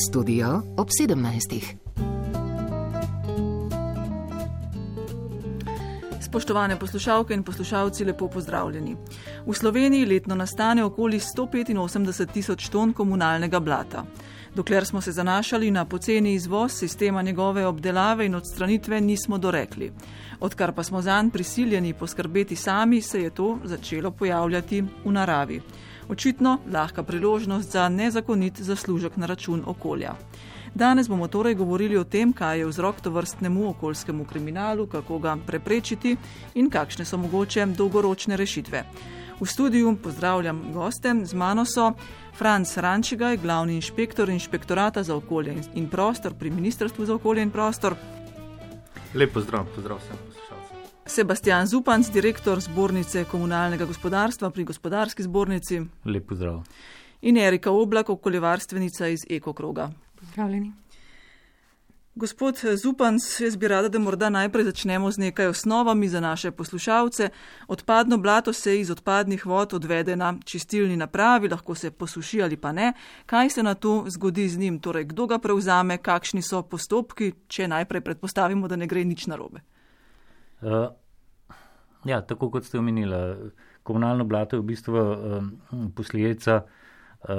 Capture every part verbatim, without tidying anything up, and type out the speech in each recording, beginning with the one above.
Studio ob sedemnajstih. Spoštovane poslušalke in poslušalci, lepo pozdravljeni. V Sloveniji letno nastane okoli sto petinosemdeset tisoč ton komunalnega blata. Dokler smo se zanašali na poceni izvoz sistema njegove obdelave in odstranitve, nismo dorekli. Odkar pa smo zanj prisiljeni poskrbeti sami, se je to začelo pojavljati v naravi. Očitno lahka priložnost za nezakonit zaslužek na račun okolja. Danes bomo torej govorili o tem, kaj je vzrok tovrstnemu okoljskemu kriminalu, kako ga preprečiti in kakšne so mogoče dolgoročne rešitve. V studiu pozdravljam goste, z mano so Franc Rančigaj, glavni inšpektor Inšpektorata za okolje in prostor pri Ministrstvu za okolje in prostor. Lep pozdrav, pozdrav vsem poslušalcem. Sebastian Zupanc, direktor Zbornice komunalnega gospodarstva pri Gospodarski zbornici. Lep pozdrav. In Erika Oblak, okoljevarstvenica iz Ekokroga. Pozdravljeni. Gospod Zupanc, jaz bi rada, da morda najprej začnemo z nekaj osnovami za naše poslušalce. Odpadno blato se iz odpadnih vod odvede na čistilni napravi, lahko se posuši ali pa ne. Kaj se na to zgodi z njim? Torej, kdo ga prevzame, kakšni so postopki, če najprej predpostavimo, da ne gre nič narobe? Uh, ja, tako kot ste omenili, komunalno blato je v bistvu uh, posledica uh,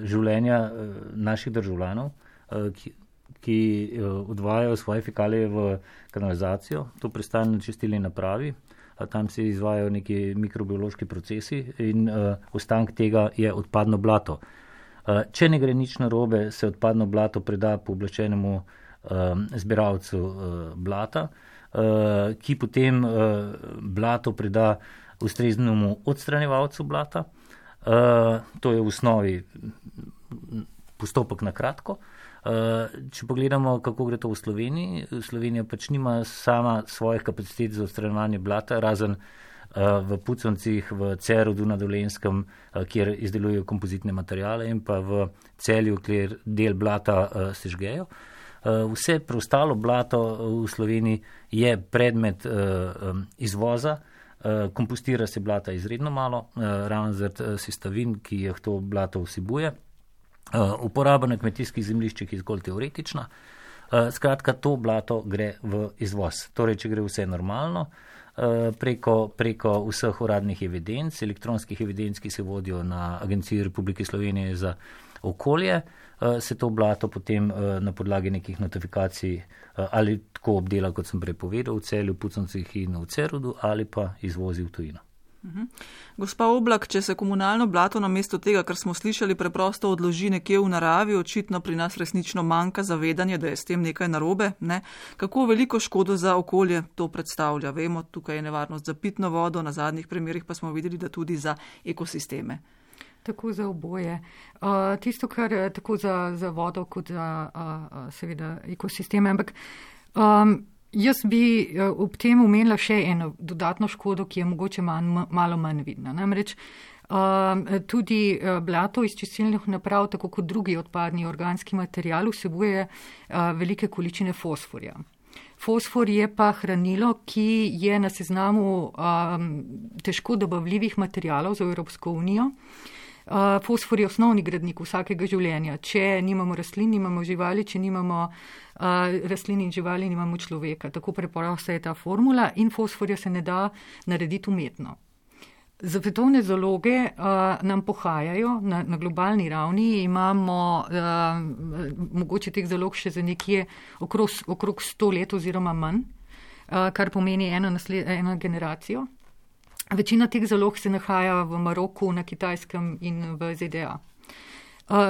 življenja uh, naših državljanov, uh, ki ki odvajajo svoje fekalije v kanalizacijo, to pristane na čistilni napravi, tam se izvajajo neki mikrobiološki procesi in uh, ostank tega je odpadno blato. Uh, če ne gre nič narobe, se odpadno blato preda pooblaščenemu uh, zbiralcu uh, blata, uh, ki potem uh, blato preda ustreznemu odstranjevalcu blata. Uh, to je v osnovi postopek na kratko. Če pogledamo, kako gre to v Sloveniji, Slovenija pač nima sama svojih kapacitet za odstranjevanje blata, razen v Puconcih, v Cerodu na Dolenjskem, kjer izdelujejo kompozitne materijale, in pa v Celju, kjer del blata sežgejo. Vse preostalo blato v Sloveniji je predmet izvoza, kompostira se blata izredno malo, ravno zaradi sestavin, ki jih to blato vsebuje. Uh, uporaba na kmetijskih zemljiščih je zgolj teoretična. Uh, skratka, to blato gre v izvoz. Torej, če gre vse normalno, uh, preko, preko vseh uradnih evidenc, elektronskih evidenc, ki se vodijo na Agenciji Republike Slovenije za okolje, uh, se to blato potem uh, na podlagi nekih notifikacij uh, ali tako obdela, kot sem prej povedal, v Celju, Puconcih in v Cerodu, ali pa izvozi v tujino. Uhum. Gospa Oblak, če se komunalno blato namesto tega, kar smo slišali, preprosto odloži nekje v naravi, očitno pri nas resnično manjka zavedanje, da je s tem nekaj narobe, ne? Kako veliko škodo za okolje to predstavlja? Vemo, tukaj je nevarnost za pitno vodo, na zadnjih primerih pa smo videli, da tudi za ekosisteme. Tako za oboje. Uh, tisto, kar je tako za, za vodo, kot za uh, seveda ekosisteme, ampak um, jaz bi ob tem omenila še eno dodatno škodo, ki je mogoče manj, malo manj vidna. Namreč tudi blato iz čistilnih naprav, tako kot drugi odpadni organski material, vsebuje velike količine fosforja. Fosfor je pa hranilo, ki je na seznamu težko dobavljivih materialov za Evropsko unijo. Uh, fosfor je osnovni gradnik vsakega življenja. Če nimamo rastlin, nimamo živali, če nimamo uh, rastlin in živali, nimamo človeka. Tako preprosta je ta formula in fosforja se ne da narediti umetno. Svetovne zaloge uh, nam pohajajo na, na globalni ravni. Imamo uh, mogoče teh zalog še za nekje okrog, okrog sto let oziroma manj, uh, kar pomeni eno, nasled, eno generacijo. Večina teh zalog se nahaja v Maroku, na Kitajskem in v Z D A.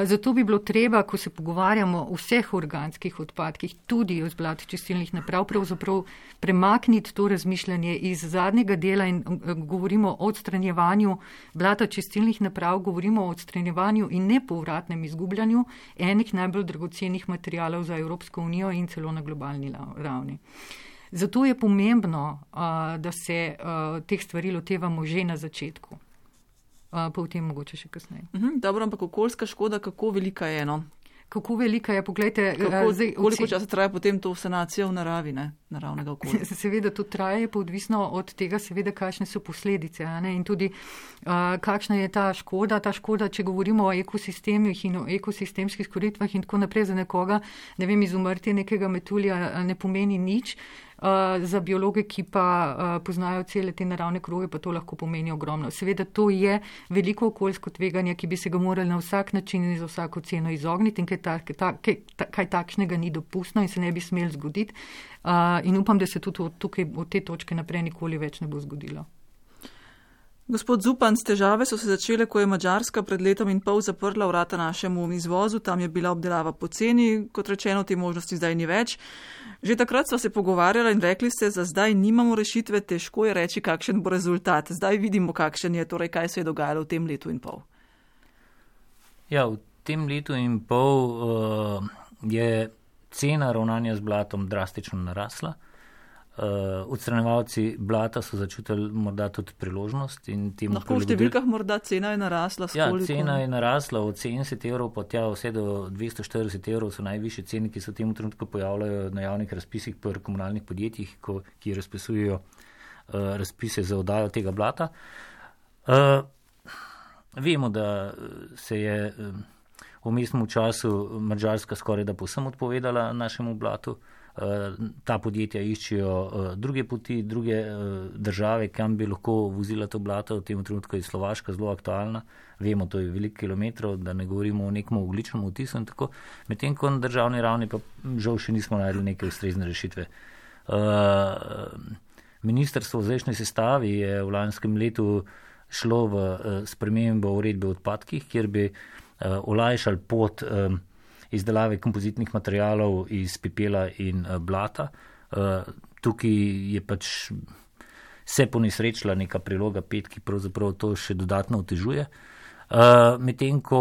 Zato bi bilo treba, ko se pogovarjamo o vseh organskih odpadkih, tudi o zblatu čistilnih naprav, pravzaprav premakniti to razmišljanje iz zadnjega dela in govorimo o odstranjevanju blata čistilnih naprav, govorimo o odstranjevanju in nepovratnem izgubljanju enih najbolj dragocenih materialov za Evropsko unijo in celo na globalni ravni. Zato je pomembno, da se teh stvari lotevamo že na začetku, pa v tem mogoče še kasneje. Mhm, dobro, ampak okoljska škoda, kako velika je eno? kako velika je, poglejte. Kako, zdaj, koliko časa traja potem to sanacija v naravi, ne, naravnega okolja? Seveda to traje, pa odvisno od tega, seveda, kakšne so posledice, ne, in tudi uh, kakšna je ta škoda. Ta škoda, če govorimo o ekosistemih in o ekosistemskih storitvah in tako naprej, za nekoga, ne vem, izumrtje nekega metulja ne pomeni nič. Uh, za biologe, ki pa uh, poznajo cele te naravne kroge, pa to lahko pomeni ogromno. Seveda to je veliko okoljsko tveganje, ki bi se ga morali na vsak način in za vsako ceno izogniti in kaj, ta, ta, kaj, ta, kaj takšnega ni dopustno in se ne bi smel zgoditi. Uh, in upam, da se tudi tukaj od te točke naprej nikoli več ne bo zgodilo. Gospod Zupan, težave so se začele, ko je Madžarska pred letom in pol zaprla vrata našemu izvozu, tam je bila obdelava poceni, kot rečeno, te možnosti zdaj ni več. Že takrat sva se pogovarjala in rekli ste, za zdaj nimamo rešitve, težko je reči, kakšen bo rezultat. Zdaj vidimo, kakšen je, torej kaj se je dogajalo v tem letu in pol. Ja, v tem letu in pol uh, je cena ravnanja z blatom drastično narasla. Uh, odstranjevalci blata so začutili morda tudi priložnost. In temu lahko v številkah morda cena je narasla? Ja, cena je narasla od sedemdeset evrov pa tja vse do dvesto štirideset evrov so najvišje cene, ki se v tem trenutku pojavljajo na javnih razpisih pri komunalnih podjetjih, ko, ki razpisujejo uh, razpise za oddajo tega blata. Uh, vemo, da se je uh, v mestnem času Madžarska skoraj da povsem odpovedala našemu blatu. Uh, ta podjetja iščejo uh, druge poti, druge uh, države, kam bi lahko vozila to blato. V tem trenutku je Slovaška zelo aktualna. Vemo, to je veliko kilometrov, da ne govorimo o nekem ogljičnem vtisu in tako. Medtem ko na državni ravni pa žal še nismo našli neke ustrezne rešitve. Uh, Ministrstvo v zdajšnji sestavi je v lanskem letu šlo v uh, spremembo uredbe o odpadkih, kjer bi uh, olajšali pot um, izdelave kompozitnih materialov iz pepela in blata. Tukaj je pač se ponesrečila neka priloga pet, ki pravzaprav to še dodatno otežuje. Medtem ko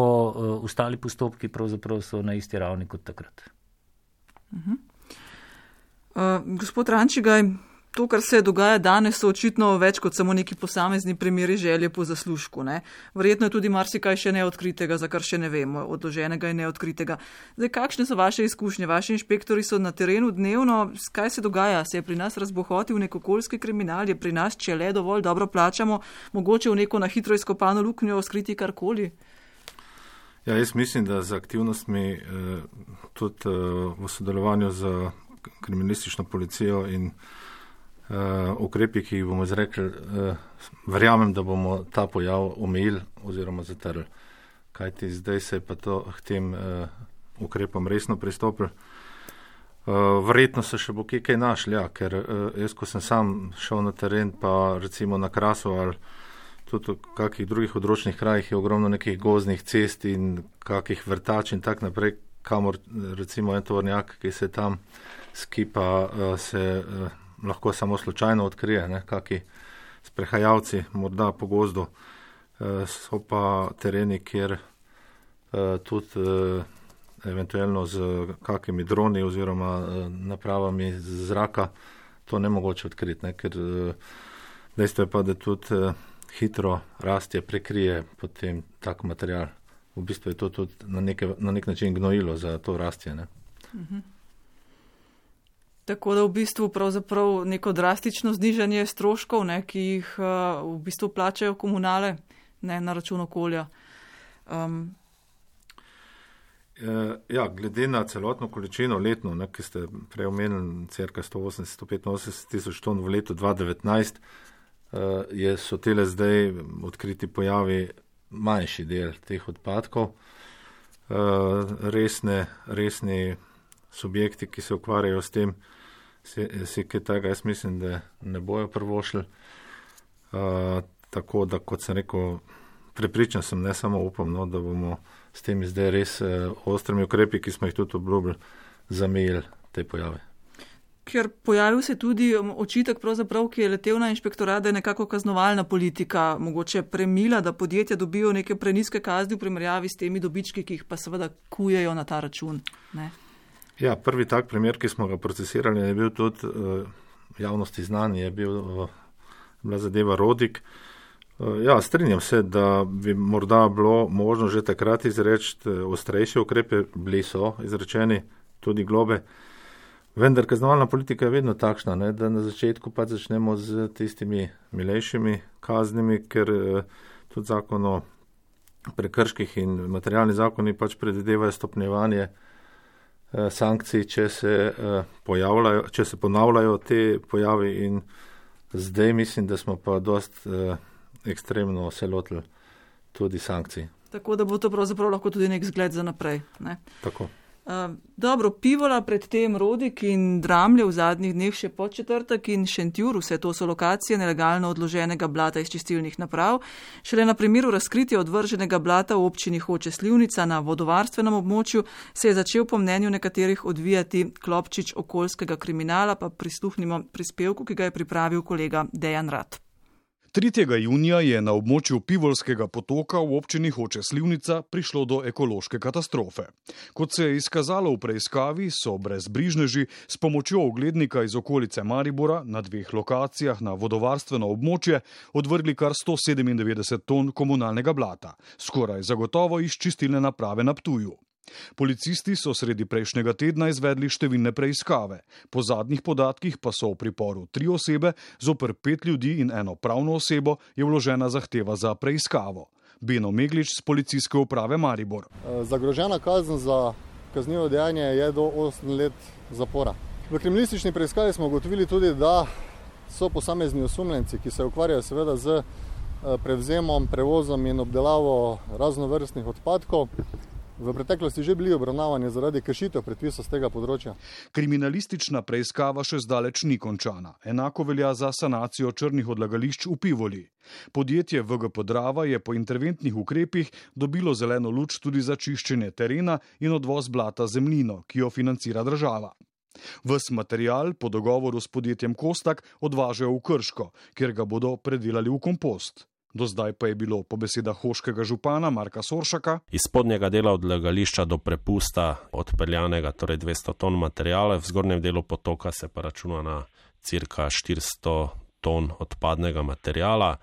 ostali postopki pravzaprav so na isti ravni kot takrat. Uh-huh. Uh, gospod Rančigaj, to, kar se dogaja danes, so očitno več kot samo neki posamezni primeri želje po zaslužku. Ne? Verjetno je tudi marsikaj še neodkritega, za kar še ne vemo, odloženega in neodkritega. Zdaj, kakšne so vaše izkušnje? Vaši inšpektori so na terenu dnevno. Kaj se dogaja? Se je pri nas razbohotil nek okoljski kriminal? Je pri nas, če le dovolj dobro plačamo, mogoče v neko na hitro izkopano luknjo skriti karkoli? Ja, jaz mislim, da z aktivnostmi eh, tudi eh, v sodelovanju z kriminalistično policijo in Uh, ukrepi, ki jih bomo izrekli, uh, verjamem, da bomo ta pojav omejili oziroma zatrli. Kajti zdaj se je pa to k tem uh, ukrepom resno pristopili. Uh, verjetno se še bo kaj, kaj našli, ja, ker uh, jaz, ko sem sam šel na teren, pa recimo na Krasu ali tudi v kakih drugih odročnih krajih, je ogromno nekih gozdnih cest in kakih vrtač in tak naprej, kamor recimo en tovornjak, ki se tam skipa, uh, se uh, lahko samo slučajno odkrije, ne, kaki sprehajalci, morda po gozdu, e, so pa tereni, kjer e, tudi e, eventualno z kakimi droni oziroma e, napravami z zraka to ne mogoče odkriti, ne, ker e, dejstvo je pa, da tudi e, hitro rastje prekrije potem tak material. V bistvu je to tudi na, neke, na nek način gnojilo za to rastje. Ne. Mhm. Tako da v bistvu pravzaprav neko drastično znižanje stroškov, ne, ki jih uh, v bistvu plačajo komunale, ne, na račun okolja. Um. E, ja, glede na celotno količino letno, ne, ki ste prej omenili, cirka sto osemdeset do sto petinosemdeset tisoč ton v letu dva tisoč devetnajst, uh, je, so tele zdaj odkriti pojavi manjši del teh odpadkov. Uh, resne, resni subjekti, ki se ukvarjajo s tem, si, si kaj tega, jaz mislim, da ne bojo prvošli. Uh, tako da, kot sem rekel, prepričan sem, ne samo upam, no, da bomo s temi zdaj res uh, ostrimi ukrepi, ki smo jih tudi obljubili, zamejili te pojave. Ker pojavil se tudi očitek, pravzaprav, ki je letel na inšpektorat, da je nekako kaznovalna politika mogoče premila, da podjetja dobijo neke preniske kazni v primerjavi s temi dobički, ki jih pa seveda kujejo na ta račun. Ne? Ja, prvi tak primer, ki smo ga procesirali, je bil tudi uh, javnosti znan, je bil uh, bila zadeva Rodik. Ja, strinjam se, da bi morda bilo možno že takrat izreči ostrejše ukrepe, bili so izrečeni tudi globe, vendar kaznovalna politika je vedno takšna, ne, da na začetku pa začnemo z tistimi milejšimi kaznimi, ker tudi zakon o prekrških in materialni zakoni pač predvidevajo stopnjevanje sankcij, če se pojavljajo, če se ponavljajo te pojavi, in zdaj mislim, da smo pa dost ekstremno se lotili tudi sankcij. Tako da bo to pravzaprav lahko tudi nek zgled za naprej. Ne? Tako. Uh, dobro, Pivola, predtem Rodik in Dramlje v zadnjih dneh še Podčetrtek in Šentjur, vse to so lokacije nelegalno odloženega blata iz čistilnih naprav. Šele na primeru razkritja odvrženega blata v občini Hoče Slivnica na vodovarstvenem območju se je začel po mnenju nekaterih odvijati klopčič okoljskega kriminala, pa prisluhnimo prispevku, ki ga je pripravil kolega Dejan Rat. tretjega junija je na območju Pivolskega potoka v občini Hoče Slivnica prišlo do ekološke katastrofe. Kot se je izkazalo v preiskavi, so brezbrižneži s pomočjo oglednika iz okolice Maribora na dveh lokacijah na vodovarstveno območje odvrgli kar sto sedemindevetdeset ton komunalnega blata, skoraj zagotovo iz čistilne naprave na Ptuju. Policisti so sredi prejšnjega tedna izvedli številne preiskave. Po zadnjih podatkih pa so v priporu tri osebe, zoper pet ljudi in eno pravno osebo je vložena zahteva za preiskavo. Beno Meglič z policijske uprave Maribor. Zagrožena kazen za kaznivo dejanje je do osem let zapora. V kriminalistični preiskavi smo ugotovili tudi, da so posamezni osumljenci, ki se ukvarjajo seveda z prevzemom, prevozom in obdelavo raznovrstnih odpadkov, v preteklosti že bili obravnavani zaradi kršitev predpisov z tega področja. Kriminalistična preiskava še zdaleč ni končana. Enako velja za sanacijo črnih odlagališč v Pivoli. Podjetje V G P Drava je po interventnih ukrepih dobilo zeleno luč tudi za čiščenje terena in odvoz blata zemljino, ki jo financira država. Ves material po dogovoru s podjetjem Kostak odvažajo v Krško, kjer ga bodo predelali v kompost. Do zdaj pa je bilo po besedah hoškega župana Marka Soršaka iz spodnjega dela odlagališča do prepusta odpeljanega, torej dvesto ton materijala, v zgornjem delu potoka se pa računa na cirka štiristo ton odpadnega materijala.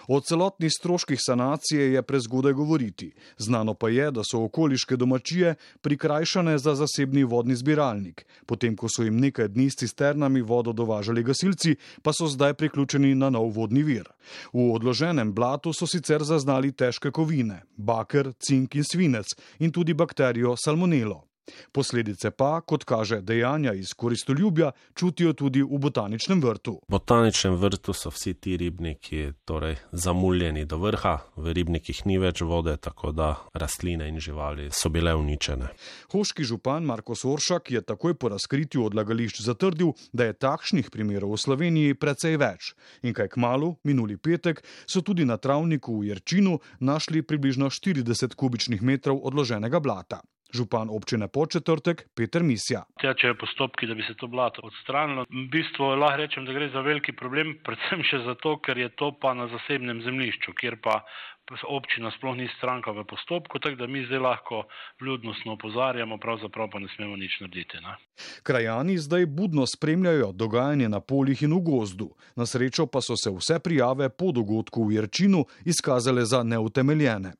O celotnih stroških sanacije je prezgodaj govoriti. Znano pa je, da so okoliške domačije prikrajšane za zasebni vodni zbiralnik. Potem, ko so jim nekaj dni s cisternami vodo dovažali gasilci, pa so zdaj priključeni na nov vodni vir. V odloženem blatu so sicer zaznali težke kovine, baker, cink in svinec in tudi bakterijo salmonelo. Posledice pa, kot kaže dejanja iz koristoljubja, čutijo tudi v botaničnem vrtu. V botaničnem vrtu so vsi ti ribniki torej zamuljeni do vrha, v ribnikih ni več vode, tako da rastline in živali so bile uničene. Hoški župan Marko Soršak je takoj po razkritju odlagališč zatrdil, da je takšnih primerov v Sloveniji precej več. In kaj kmalu, minuli petek, so tudi na travniku v Jerčinu našli približno štirideset kubičnih metrov odloženega blata. Župan občine Podčetrtek Peter Misja. Tečejo postopki, da bi se to blato odstranilo. V bistvu lahko rečem, da gre za veliki problem, predvsem še zato, ker je to pa na zasebnem zemljišču, kjer pa občina sploh ni stranka v postopku, tako da mi zdaj lahko vljudnostno opozarjamo, pravzaprav pa ne smemo nič narediti. Ne? Krajani zdaj budno spremljajo dogajanje na poljih in v gozdu. Na srečo pa so se vse prijave po dogodku v Jerčinu izkazale za neutemeljene.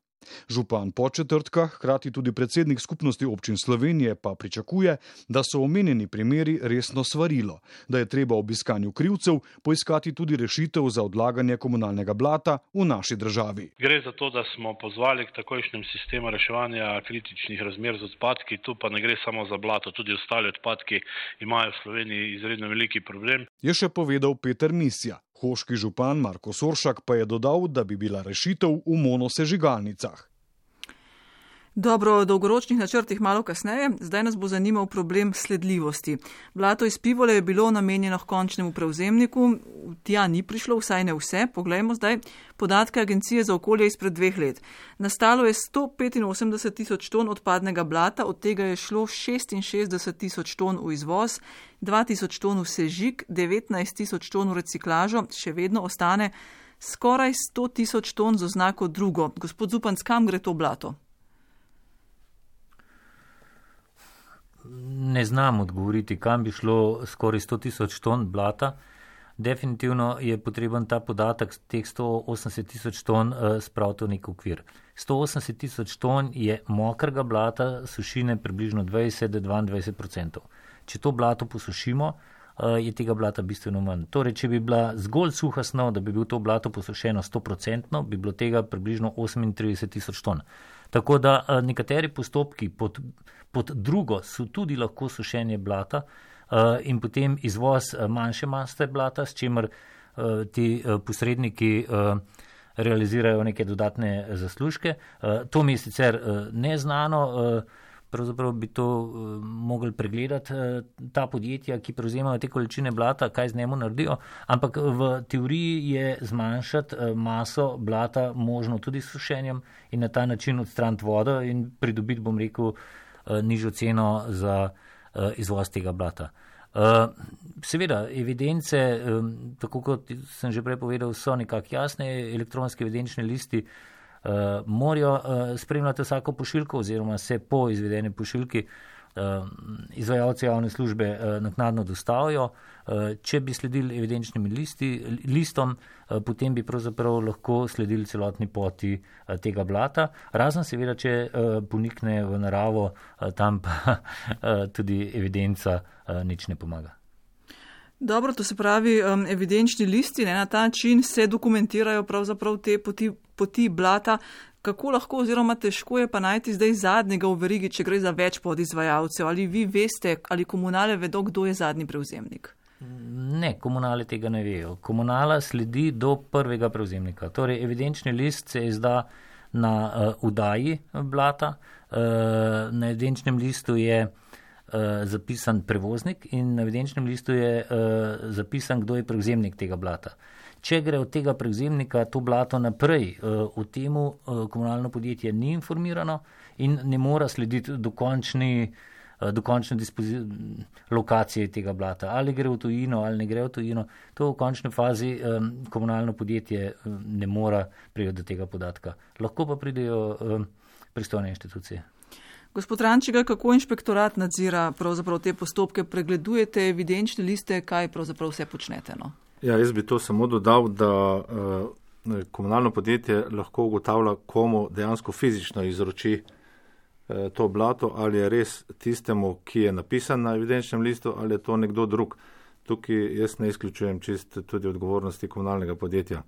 Župan Podčetrtka, hkrati tudi predsednik skupnosti občin Slovenije, pa pričakuje, da so omenjeni primeri resno svarilo, da je treba ob iskanju krivcev poiskati tudi rešitev za odlaganje komunalnega blata v naši državi. Gre za to, da smo pozvali k takojšnjem sistemu reševanja kritičnih razmer z odpadki, tu pa ne gre samo za blato, tudi ostali odpadki imajo v Sloveniji izredno veliki problem. Je še povedal Peter Misja. Hoški župan Marko Soršak pa je dodal, da bi bila rešitev v monosežigalnicah. Dobro, o dolgoročnih načrtih malo kasneje, zdaj nas bo zanimal problem sledljivosti. Blato iz Pivole je bilo namenjeno končnemu prevzemniku, tja ni prišlo, vsaj ne vse. Poglejmo zdaj podatke Agencije za okolje izpred dveh let. Nastalo je sto petinosemdeset tisoč ton odpadnega blata, od tega je šlo šestinšestdeset tisoč ton v izvoz, dva tisoč ton v sežig, devetnajst tisoč ton v reciklažo, še vedno ostane skoraj sto tisoč ton z oznako drugo. Gospod Zupanc, kam gre to blato? Ne znam odgovoriti, kam bi šlo skoraj sto tisoč ton blata. definitivno je potreben ta podatek teh sto osemdeset tisoč ton spraviti v nek okvir. sto osemdeset tisoč ton je mokrega blata, sušine približno dvajset do dvaindvajset odstotkov. Če to blato posušimo, je tega blata bistveno manj. Torej, če bi bila zgolj suha snov, da bi bil to blato posušeno sto odstotkov, bi bilo tega približno osemintrideset tisoč ton. Tako da nekateri postopki pod, pod drugo so tudi lahko sušenje blata in potem izvoz manjše maste blata, s čimer ti posredniki realizirajo neke dodatne zaslužke. To mi je sicer neznano, pravzaprav bi to mogli pregledati ta podjetja, ki prevzemajo te količine blata, kaj z njemu naredijo, ampak v teoriji je zmanjšati maso blata možno tudi s sušenjem in na ta način odstraniti vodo in pridobiti, bom rekel, nižjo ceno za izvoz tega blata. Seveda, evidence, tako kot sem že prej povedal, so nekako jasne, elektronske evidenčne listi morajo spremljati vsako pošiljko oziroma se po izvedeni pošiljki izvajalci javne službe naknadno dostavijo. Če bi sledili evidenčnim listi, listom, potem bi pravzaprav lahko sledili celotni poti tega blata, razen seveda, če ponikne v naravo, tam pa tudi evidenca nič ne pomaga. Dobro, to se pravi, evidenčni listi, ne, na ta način se dokumentirajo pravzaprav te poti, poti blata. Kako lahko oziroma težko je pa najti zdaj zadnjega v verigi, če gre za več podizvajalcev? Ali vi veste, ali komunale vedo, kdo je zadnji prevzemnik? Ne, komunale tega ne vejo. Komunala sledi do prvega prevzemnika. Torej, evidenčni list se izda na uh, udaji blata. Uh, na evidenčnem listu je uh, zapisan prevoznik in na evidenčnem listu je uh, zapisan, kdo je prevzemnik tega blata. Če gre od tega prevzemnika to blato naprej, o temu komunalno podjetje ni informirano in ne mora slediti dokončni, dokončne lokacije tega blata. Ali gre v tujino, ali ne gre v tujino, to v končni fazi komunalno podjetje ne mora priti do tega podatka. Lahko pa pridejo pristojne inštitucije. Gospod Rančigar, kako inšpektorat nadzira pravzaprav te postopke? Pregledujete evidenčne liste, kaj pravzaprav vse počnete? No? Ja, jaz bi to samo dodal, da uh, komunalno podjetje lahko ugotavlja, komu dejansko fizično izroči uh, to blato, ali je res tistemu, ki je napisan na evidenčnem listu, ali je to nekdo drug. Tukaj jaz ne izključujem čist tudi odgovornosti komunalnega podjetja.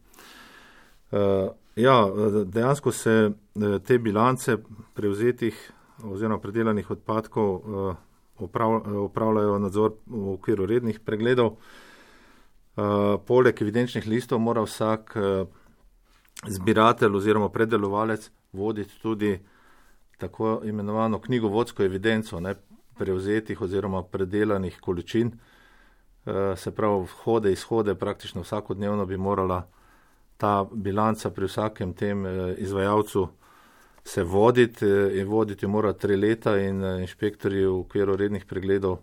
Uh, ja, dejansko se uh, te bilance prevzetih oziroma predelanih odpadkov uh, uprav, upravljajo nadzor v okviru rednih pregledov. Uh, poleg evidenčnih listov mora vsak uh, zbiratelj oziroma predelovalec voditi tudi tako imenovano knjigovodsko evidenco ne, prevzetih oziroma predelanih količin. Uh, se pravi, vhode, izhode, praktično vsakodnevno bi morala ta bilanca pri vsakem tem uh, izvajalcu se voditi uh, in voditi mora tri leta in uh, inšpektorji v okviru rednih pregledov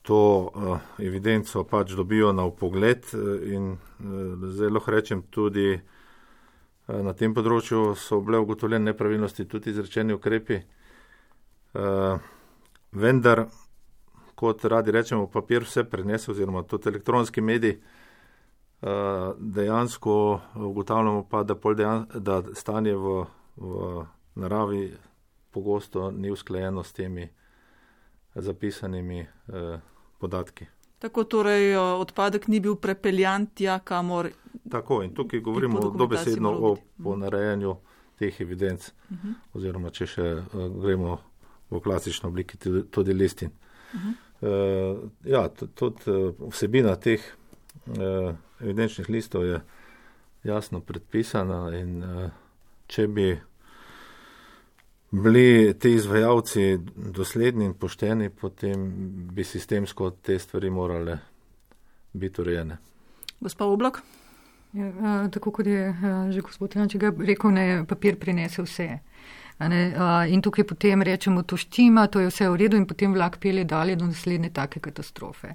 to uh, evidenco pač dobijo na vpogled in uh, zdaj lahko rečem tudi uh, na tem področju so bile ugotovljene nepravilnosti, tudi izrečeni ukrepi. Uh, vendar, kot radi rečemo, papir vse prenese oziroma tudi elektronski medij, uh, dejansko ugotavljamo pa, da, dejan, da stanje v, v naravi pogosto ni usklajeno s temi zapisanimi uh, podatki. Tako torej odpadek ni bil prepeljan tja, kamor... Tako, in tukaj govorimo dobesedno o ponarejanju teh evidenc, uh-huh. oziroma če še uh, gremo v klasično obliki tudi listin. Uh-huh. Uh, ja, tudi uh, vsebina teh uh, evidenčnih listov je jasno predpisana in uh, če bi bili ti izvajalci dosledni in pošteni, potem bi sistemsko te stvari morale biti urejene. Gospa Oblak? Ja, tako kot je že gospod Rančigar rekel, ne, papir prinese vse. Ne, in tukaj potem rečemo, to štima, to je vse v redu in potem vlak pelje dalje do naslednje take katastrofe.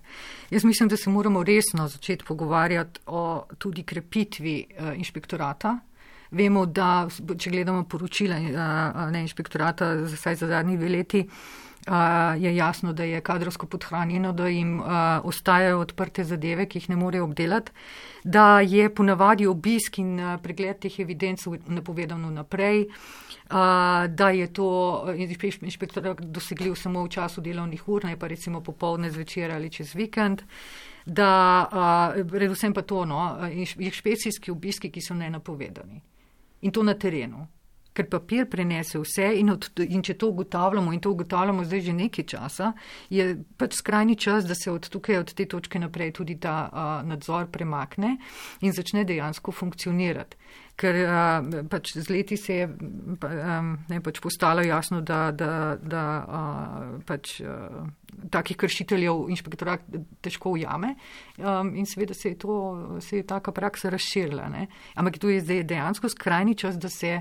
Jaz mislim, da se moramo resno začeti pogovarjati o tudi krepitvi inšpektorata. Vemo, da če gledamo poročila ne, inšpektorata vsaj za zadnji dve leti, je jasno, da je kadrovsko podhranjeno, da jim ostajajo odprte zadeve, ki jih ne morejo obdelati, da je ponavadi obisk in pregled teh evidenc napovedano naprej, da je to inšpektor dosegljiv samo v času delovnih ur, ne pa recimo popoldne, zvečer ali čez vikend, da predvsem pa to, no, inšpekcijski obiski, ki so nenapovedani. In to na terenu. Ker papir prenese vse in, od, in če to ugotavljamo, in to ugotavljamo zdaj že nekaj časa, je pač skrajni čas, da se od tukaj, od te točke naprej tudi ta a, nadzor premakne in začne dejansko funkcionirati. Ker a, pač z leti se je a, ne, pač postalo jasno, da, da, da a, pač a, takih kršiteljev inšpektorat težko ujame a, in seveda se je, to, se je taka praksa razširila. Ne. Ampak to je zdaj dejansko skrajni čas, da se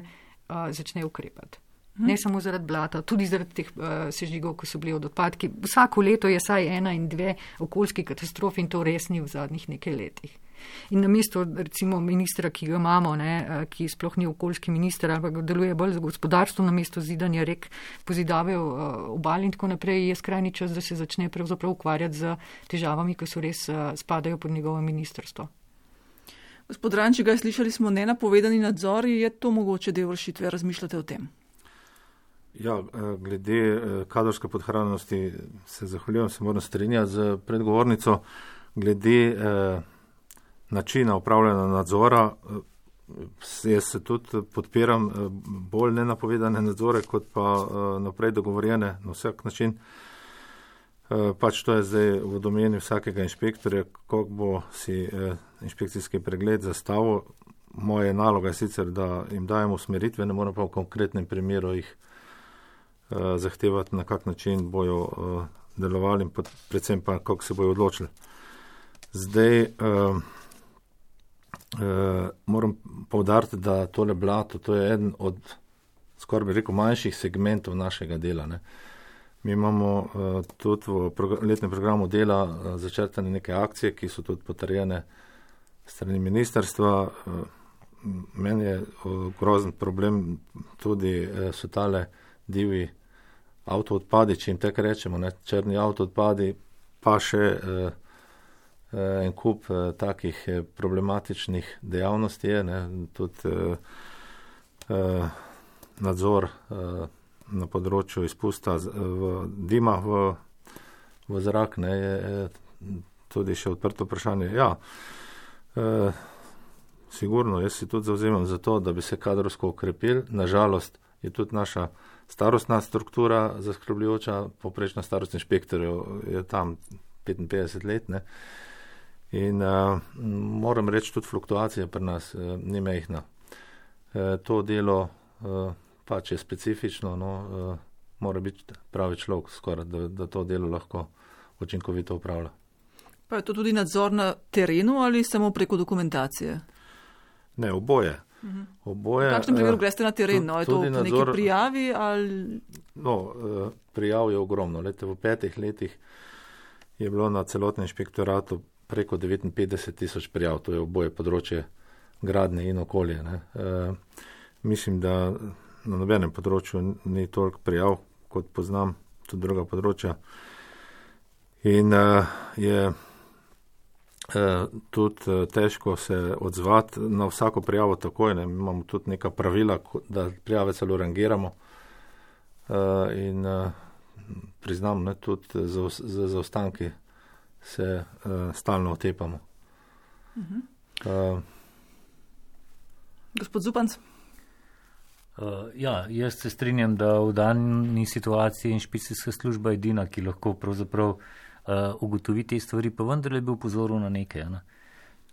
Uh, začne ukrepati. Ne samo zaradi blata, tudi zaradi teh uh, sežigov, ko so bili od odpadki. Vsako leto je saj ena in dve okoljski katastrofi in to res ni v zadnjih nekaj letih. In na mesto recimo ministra, ki ga imamo, ne, ki sploh ni okoljski minister, ampak deluje bolj za gospodarstvo, na mesto zidanja rek, pozidave uh, obal in tako naprej, je skrajni čas, da se začne pravzaprav ukvarjati z težavami, ki so res uh, spadajo pod njegovo ministrstvo. Gospod Rančiga, slišali smo nenapovedani nadzori, je to mogoče del rešitve, razmišljate o tem? Ja, glede kadrovske podhranjenosti se zahvaljujem, se moram strinjati z predgovornico. Glede eh, načina upravljanja nadzora, jaz se tudi podpiram bolj nenapovedane nadzore, kot pa eh, naprej dogovorjene na vsak način. Pač to je zdaj v domeni vsakega inšpektorja, kako bo si eh, inšpekcijski pregled zastavil. Moja naloga je sicer, da jim dajemo usmeritve, ne moram pa v konkretnem primeru jih eh, zahtevati, na kak način bojo eh, delovali in pod, predvsem pa, kako se bojo odločili. Zdaj eh, eh, moram poudariti, da tole blato, to je eden od, skoraj bi rekel, manjših segmentov našega dela, ne. Mi imamo uh, tudi v progr- letnem programu dela uh, začrtane neke akcije, ki so tudi potrjene strani ministrstva. Uh, meni je uh, grozen problem tudi uh, so tale divji avtoodpadi, če jim tako rečemo, ne, črni avtoodpadi, pa še uh, uh, en kup uh, takih uh, problematičnih dejavnosti je, ne, tudi uh, uh, nadzor uh, na področju izpusta v dima v, v zrak, ne, je tudi še odprto vprašanje. Ja, e, sigurno, jaz si tudi zauzemam za to, da bi se kadrovsko ukrepili. Nažalost je tudi naša starostna struktura zaskrbljujoča, poprečna starost inšpektorjev je tam petinpetdeset let, ne. In e, moram reči, tudi fluktuacija pri nas e, ni mehna. E, to delo e, pač je specifično, no, uh, mora biti pravi človek skoraj, da, da to delo lahko učinkovito upravlja. Pa je to tudi nadzor na terenu ali samo preko dokumentacije? Ne, oboje. Uh-huh. oboje v kakšnem primeru greste na teren? No, je to v nadzor, neki prijavi ali? No, uh, prijav je ogromno. Lete, v petih letih je bilo na celotnem inšpektoratu preko devetinpetdeset tisoč prijav, to je oboje področje gradnje in okolje. Ne. Uh, mislim, da na nobenem področju ni toliko prijav, kot poznam tudi druga področja. In uh, je uh, tudi uh, težko se odzvati na vsako prijavo takoj. Ne. Imamo tudi neka pravila, da prijave celo rangiramo. Uh, in uh, priznam, ne, tudi za, za zaostanki se uh, stalno otepamo. Uh-huh. Uh, Gospod Zupanc? Uh, ja, jaz se strinjam, da v dani situaciji inšpekcijska služba je edina, ki lahko pravzaprav uh, ugotovi te stvari, pa vendarle bi upozoril na nekaj. Ne?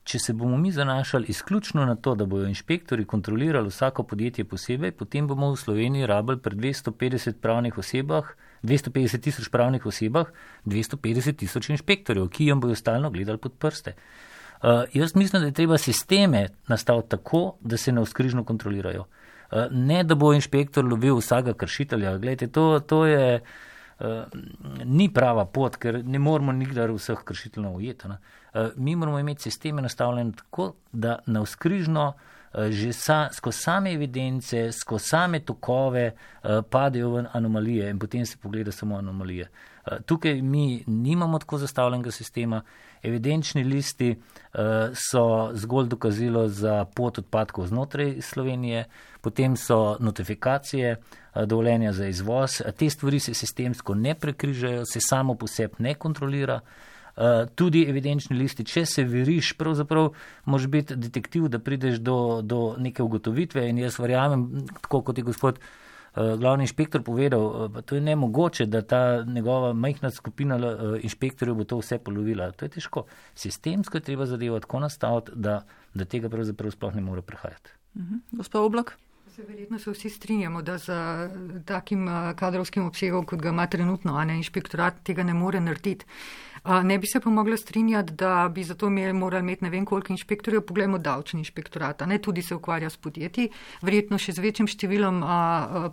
Če se bomo mi zanašali izključno na to, da bojo inšpektori kontrolirali vsako podjetje posebej, potem bomo v Sloveniji rabili pri dvesto petdeset pravnih osebah, dvesto petdeset tisoč pravnih osebah, dvesto petdeset tisoč inšpektorjev, ki jim bojo stalno gledali pod prste. Uh, jaz mislim, da je treba sisteme nastaviti tako, da se navzkrižno kontrolirajo. Ne, da bo inšpektor lovil vsega kršitelja. Glejte, to, to je, uh, ni prava pot, ker ne moramo nikdar vseh kršiteljev ujeti. Uh, mi moramo imeti sisteme nastavljene tako, da navzkrižno že sa, skozi same evidence, skozi same tokove padejo v anomalije in potem se pogleda samo anomalije. Tukaj mi nimamo tako zastavljenega sistema. Evidenčni listi so zgolj dokazilo za pot odpadkov znotraj Slovenije, potem so notifikacije, dovoljenja za izvoz. Te stvari se sistemsko ne prekrižajo, se samo po sebi ne kontrolira. Tudi evidenčni listi, če se veriš, pravzaprav moraš biti detektiv, da prideš do, do neke ugotovitve in jaz verjamem, tako kot je gospod glavni inšpektor povedal, to je nemogoče, da ta njegova majhna skupina inšpektorjev bo to vse polovila. To je težko. Sistemsko je treba zadevo tako nastaviti, da, da tega pravzaprav sploh ne more prehajati. Uh-huh. Gospod Oblak? Verjetno se vsi strinjamo, da z takim kadrovskim obsegom, kot ga ima trenutno, a ne inšpektorat, tega ne more narediti. Ne bi se pa mogla strinjati, da bi zato morali imeti ne vem koliko inšpektorjev, poglejmo davčni inšpektorat, ne tudi se ukvarja s podjetji, verjetno še z večjim številom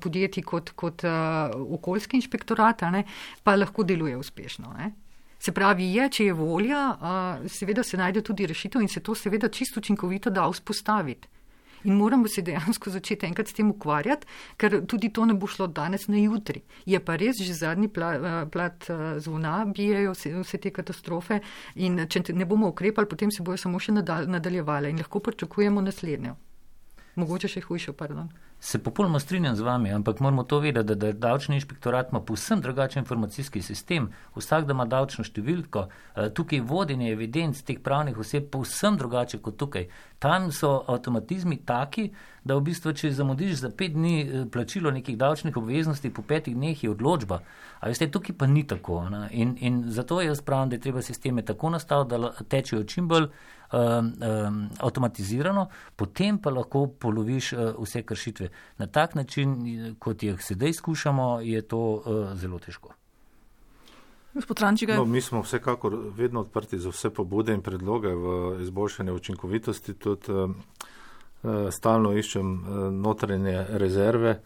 podjetij kot, kot okoljski inšpektorat, ne, pa lahko deluje uspešno. Ne. Se pravi, je, če je volja, seveda se najde tudi rešitev in se to seveda čisto učinkovito da vzpostaviti. In moramo se dejansko začeti enkrat s tem ukvarjati, ker tudi to ne bo šlo danes na jutri. Je pa res, že zadnji plat zvona bijejo vse, vse te katastrofe in če ne bomo ukrepali, potem se bojo samo še nadaljevale in lahko pričakujemo naslednjo. Mogoče še hujšo, pardon. Se popolnoma strinjam z vami, ampak moramo to vedeti, da, da davčni inšpektorat ima povsem drugačen informacijski sistem. Vsak, da ima davčno številko, tukaj vodenje evidenc teh pravnih oseb povsem drugače kot tukaj. Tam so avtomatizmi taki, da v bistvu, če zamudiš za pet dni plačilo nekih davčnih obveznosti, po petih dneh je odločba. A veste, tukaj pa ni tako. In, in zato jaz pravim, da je treba sisteme tako nastaviti, da tečejo čim bolj um, um, avtomatizirano, potem pa lahko poloviš uh, vse kršitve. Na tak način, kot jih sedaj skušamo, je to uh, zelo težko. Gospod Rančigar. No, mi smo vsekakor vedno odprti za vse pobude in predloge v izboljšanje učinkovitosti. Tudi uh, stalno iščem uh, notranje rezerve.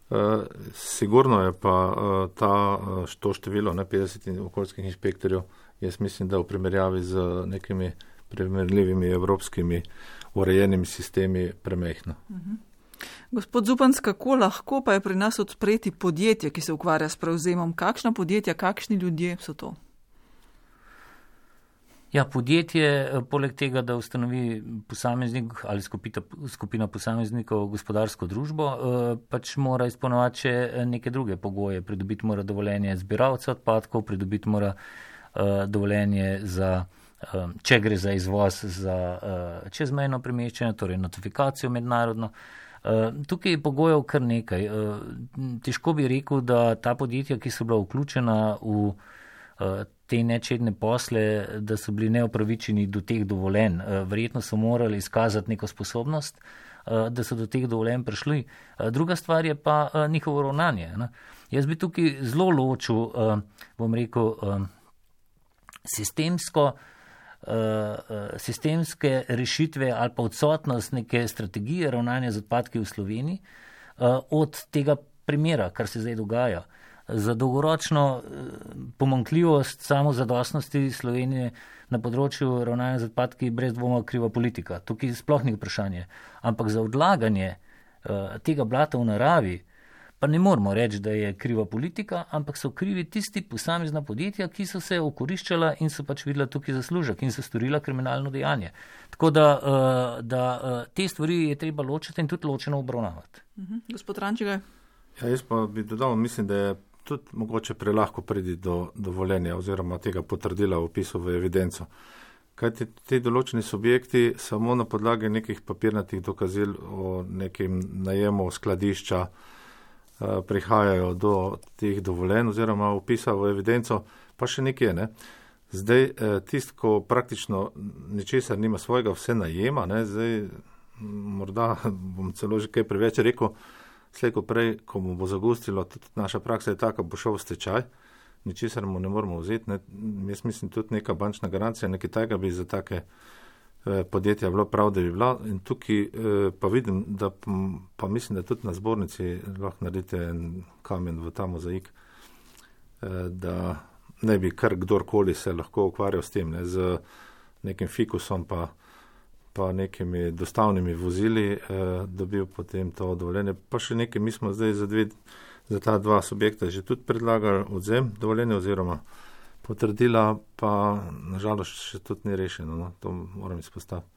Uh, sigurno je pa uh, ta, uh, to število, ne, petdeset okoljskih inšpektorjev, jaz mislim, da v primerjavi z nekimi primerljivimi evropskimi urejenimi sistemi premehno. Uh-huh. Gospod Zupanc, kako lahko pa je pri nas odpreti podjetje, ki se ukvarja s prevzemom? Kakšna podjetja, kakšni ljudje so to? Ja, podjetje, poleg tega, da ustanovi posameznik ali skupita, skupina posameznikov gospodarsko družbo, pač mora izpolnjevati še neke druge pogoje. Pridobiti mora dovoljenje zbiralca odpadkov, pridobiti mora dovoljenje za, če gre za izvoz, za čezmejno premeščanje, torej notifikacijo mednarodno. Tukaj je pogojev kar nekaj. Težko bi rekel, da ta podjetja, ki so bila vključena v te nečedne posle, da so bili neopravičeni do teh dovoljenj. Verjetno so morali izkazati neko sposobnost, da so do teh dovoljenj prišli. Druga stvar je pa njihovo ravnanje. Jaz bi tukaj zelo ločil, bom rekel, sistemsko sistemske rešitve ali pa odsotnost neke strategije ravnanja z odpadki v Sloveniji od tega primera, kar se zdaj dogaja. Za dolgoročno pomanjkljivost samozadostnosti Slovenije na področju ravnanja z odpadki brez dvoma kriva politika. Tukaj sploh ni vprašanje. Ampak za odlaganje tega blata v naravi pa ne moramo reči, da je kriva politika, ampak so krivi tisti posamezna podjetja, ki so se okoriščala in so pač videla tukaj zaslužek in so storila kriminalno dejanje. Tako da, da te stvari je treba ločiti in tudi ločeno obravnavati. Uh-huh. Gospod Rančigar. Ja, jaz pa bi dodal, mislim, da je tudi mogoče prelahko priti do dovoljenja oziroma tega potrdila v opisu v evidenco. Kaj ti, ti določeni subjekti samo na podlagi nekih papirnatih dokazil o nekem najemu skladišča prihajajo do teh dovoljenj oziroma upisa v evidenco, pa še nekje, ne. Zdaj, tist, ko praktično ničesar nima svojega, vse najema, ne, zdaj morda bom celo že kaj preveč rekel, slej ko prej, ko mu bo zagustilo, tudi naša praksa je taka, bo šel v stečaj, ničesar mu ne moramo vzeti, ne. Jaz mislim, tudi neka bančna garancija, nekaj tajga bi za take podjetja bilo prav, da bi bila. In tukaj pa vidim, da pa mislim, da tudi na zbornici lahko naredite en kamen v ta mozaik, da ne bi kar kdorkoli se lahko ukvarjal s tem, ne, z nekim fikusom pa pa nekimi dostavnimi vozili eh, dobil potem to dovoljenje. Pa še nekaj, mi smo zdaj za, dve, za ta dva subjekta že tudi predlagali odzem dovoljenja oziroma potrdila, pa nažalost še tudi ni rešeno, no? To moram izpostaviti.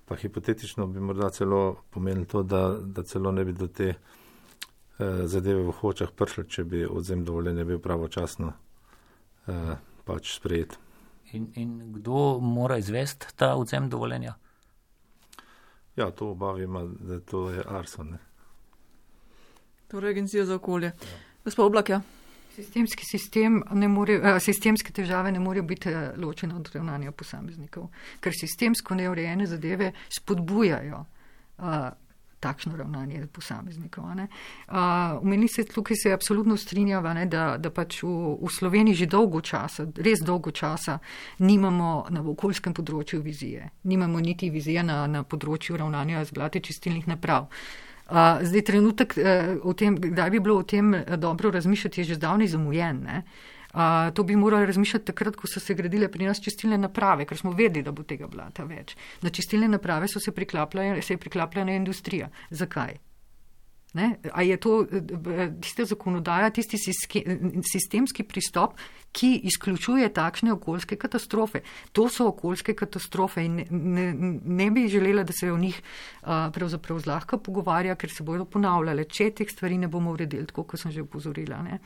Pa hipotetično bi morda celo pomenilo to, da, da celo ne bi do te eh, zadeve v Hočah prišli, če bi odzem dovoljenja bil pravočasno eh, pač sprejet. In, in kdo mora izvesti ta odzem dovoljenja? Ja, to obavi ima, da to je Arson. Ne? Torej Agencija za okolje. Ja. Gospod Oblak, ja. Sistemski sistem ne more, sistemske težave ne morejo biti ločene od ravnanja posameznikov, ker sistemsko neurejene zadeve spodbujajo uh, takšno ravnanje posameznikov. Umeni se, tukaj se absolutno strinjava, ne, da, da pač v, v Sloveniji že dolgo časa, res dolgo časa, nimamo na okoljskem področju vizije. Nimamo niti vizije na, na področju ravnanja z blati čistilnih naprav. Uh, zdaj trenutek, uh, o tem, kdaj bi bilo o tem dobro razmišljati, je že zdavnaj zamujen. Ne? Uh, to bi morali razmišljati takrat, ko so se gradile pri nas čistilne naprave, ker smo vedeli, da bo tega blata več. Na čistilne naprave so se priklapljale, se je priklapljala industrija. Zakaj? Ne? A je to tista zakonodaja, tisti sistemski pristop, ki izključuje takšne okoljske katastrofe? To so okoljske katastrofe in ne, ne, ne bi želela, da se o njih uh, pravzaprav zlahka pogovarja, ker se bodo ponavljale, če teh stvari ne bomo uredili, tako kot sem že upozorila. Ne?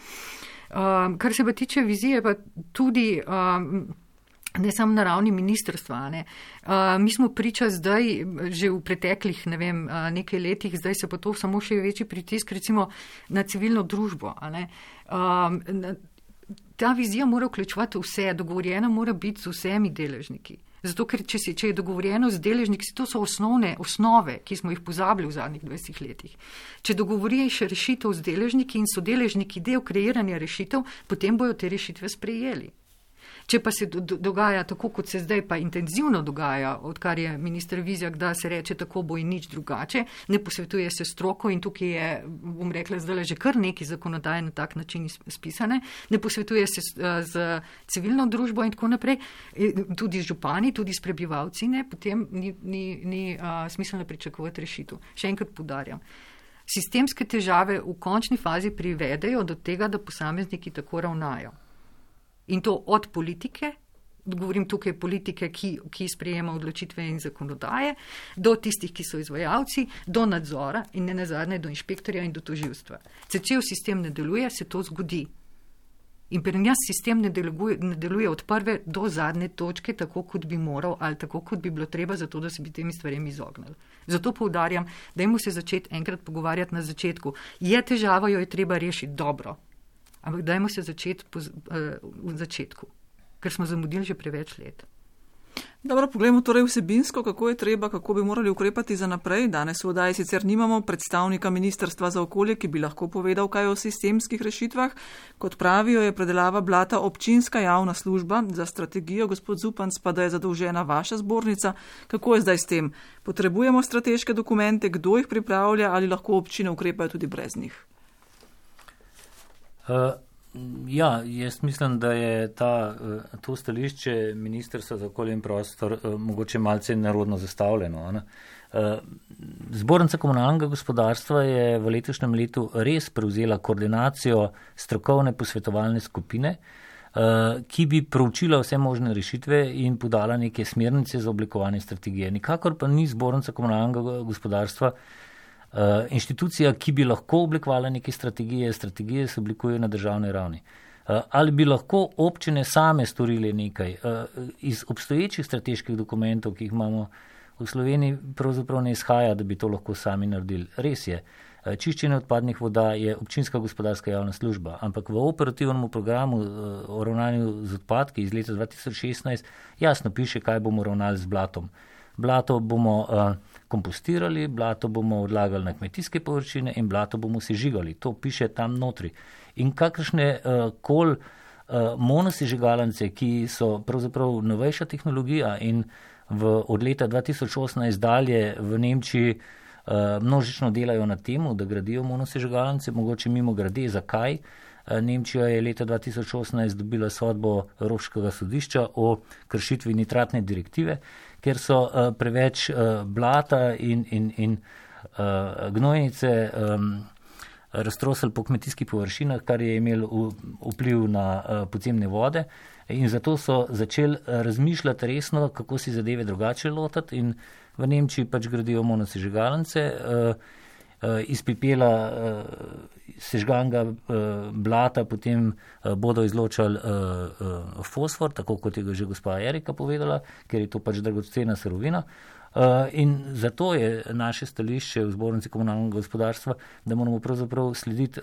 Uh, kar se pa tiče vizije, pa tudi uh, ne samo na ravni ministrstva. Ne. Uh, mi smo priča zdaj, že v preteklih ne vem, uh, nekaj letih, zdaj se pa to samo še večji pritisk recimo na civilno družbo. A ne. Um, ta vizija mora vključevati vse, dogovorjena mora biti z vsemi deležniki. Zato, ker če, si, če je dogovorjeno z deležniki, to so osnovne osnove, ki smo jih pozabili v zadnjih dvajsetih letih. Če dogovoriš rešitev z deležniki in so deležniki del kreiranja rešitev, potem bojo te rešitve sprejeli. Če pa se do, do, dogaja tako, kot se zdaj pa intenzivno dogaja, odkar je minister Vizjak, da se reče tako bo in nič drugače, ne posvetuje se stroko in tukaj je, bom rekla, zdaj že kar neki zakonodaje na tak način spisane, ne posvetuje se z, z civilno družbo in tako naprej, tudi z župani, tudi s prebivalci, ne, potem ni, ni, ni a, smiselno pričakovati rešitev. Še enkrat poudarjam. Sistemske težave v končni fazi privedejo do tega, da posamezniki tako ravnajo. In to od politike, govorim tukaj politike, ki, ki sprejema odločitve in zakonodaje, do tistih, ki so izvajalci, do nadzora in ne nazadnje do inšpektorja in do tožilstva. Če cel sistem ne deluje, se to zgodi. In pri nas sistem ne deluje, ne deluje od prve do zadnje točke, tako kot bi moral ali tako kot bi bilo treba, zato da se bi temi stvaremi izognili. Zato poudarjam, dajmo se začeti enkrat pogovarjati na začetku. Je težava, jo je treba rešiti dobro. Ampak dajmo se začeti po, uh, v začetku, ker smo zamudili že preveč let. Dobro, poglejmo torej vsebinsko, kako je treba, kako bi morali ukrepati za naprej. Danes v oddaji sicer nimamo predstavnika Ministrstva za okolje, ki bi lahko povedal kaj o sistemskih rešitvah. Kot pravijo, je predelava blata občinska javna služba. Za strategijo, gospod Zupanc, pa da je zadolžena vaša zbornica. Kako je zdaj s tem? Potrebujemo strateške dokumente, kdo jih pripravlja ali lahko občine ukrepajo tudi brez njih? Uh, ja, jaz mislim, da je ta, uh, to stališče Ministrstva za okolje in prostor uh, mogoče malce nerodno zastavljeno. Ne? Uh, Zbornica komunalnega gospodarstva je v letošnjem letu res prevzela koordinacijo strokovne posvetovalne skupine, uh, ki bi proučila vse možne rešitve in podala neke smernice za oblikovanje strategije. Nikakor pa ni Zbornica komunalnega gospodarstva Uh, inštitucija, ki bi lahko oblikovala neke strategije, strategije se oblikujejo na državni ravni. Uh, ali bi lahko občine same storile nekaj? Uh, iz obstoječih strateških dokumentov, ki jih imamo v Sloveniji, pravzaprav ne izhaja, da bi to lahko sami naredili. Res je, uh, čiščenje odpadnih voda je občinska gospodarska javna služba, ampak v operativnem programu uh, o ravnanju z odpadki iz leta dva tisoč šestnajst jasno piše, kaj bomo ravnali z blatom. Blato bomo uh, kompostirali, blato bomo odlagali na kmetijske površine in blato bomo sežigali. To piše tam notri. In kakršne uh, kol uh, monosežigalnice, ki so pravzaprav novejša tehnologija in v, od leta dva tisoč osemnajst dalje v Nemčiji uh, množično delajo na temu, da gradijo monosežigalnice, mogoče mimo grade, zakaj? Nemčija je leta dva tisoč osemnajst dobila sodbo Evropskega sodišča o kršitvi nitratne direktive, ker so preveč blata in, in, in gnojnice raztrosili po kmetijskih površinah, kar je imelo vpliv na podzemne vode. In zato so začeli razmišljati resno, kako si zadeve drugače lotiti, in v Nemčiji pač gradijo monosežigalnice, iz pepela sežganga blata potem bodo izločali fosfor, tako kot je ga že gospa Erika povedala, ker je to pač dragocena surovina. In zato je naše stališče v Zbornici komunalnega gospodarstva, da moramo pravzaprav slediti